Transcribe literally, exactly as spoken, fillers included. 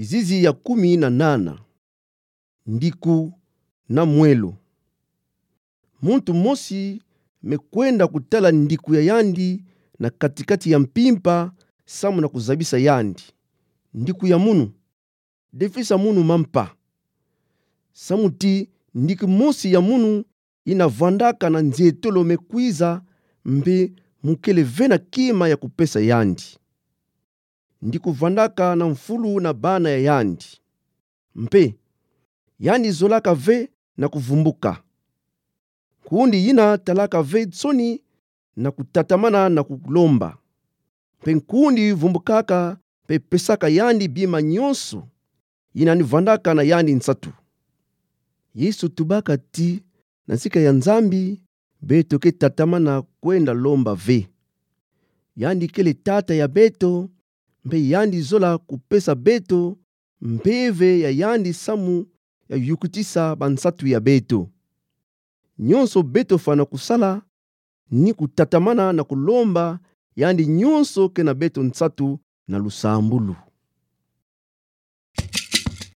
Kizizi ya kumi na nana. Ndiku na mwelo. Muntu mosi me kwenda kutala ndiku ya yandi na kati-kati ya mpimpa, samu na kuzabisa yandi: Ndiku ya munu, defisa munu mampa. Samu ti ndiku mosi ya munu ina vandaka na nzietolo me kwiza, mpe mukele ve na kima ya kupesa yandi. Ndiku vandaka na mfulu na bana ya yandi. Mpe yandi zolaka ve na kuvumbuka. Nkundi ina talaka ve nsoni na kutatamana na kulomba. Mpe nkundi vumbukaka mpe pesaka yandi bima nyonso ina ni vandaka na yandi nsatu. Yesu tubaka ti, na sika ya Nzambi, beto ke tatamana kwenda lomba ve. Yandi kele Tata ya beto, mpe yandi zola kupesa beto mpeve ya yandi samu ya yukutisa bansatu ya beto. Nyonso beto fwana kusala ni kutatamana na kulomba yandi nyonso ke na beto nsatu na lusambulu.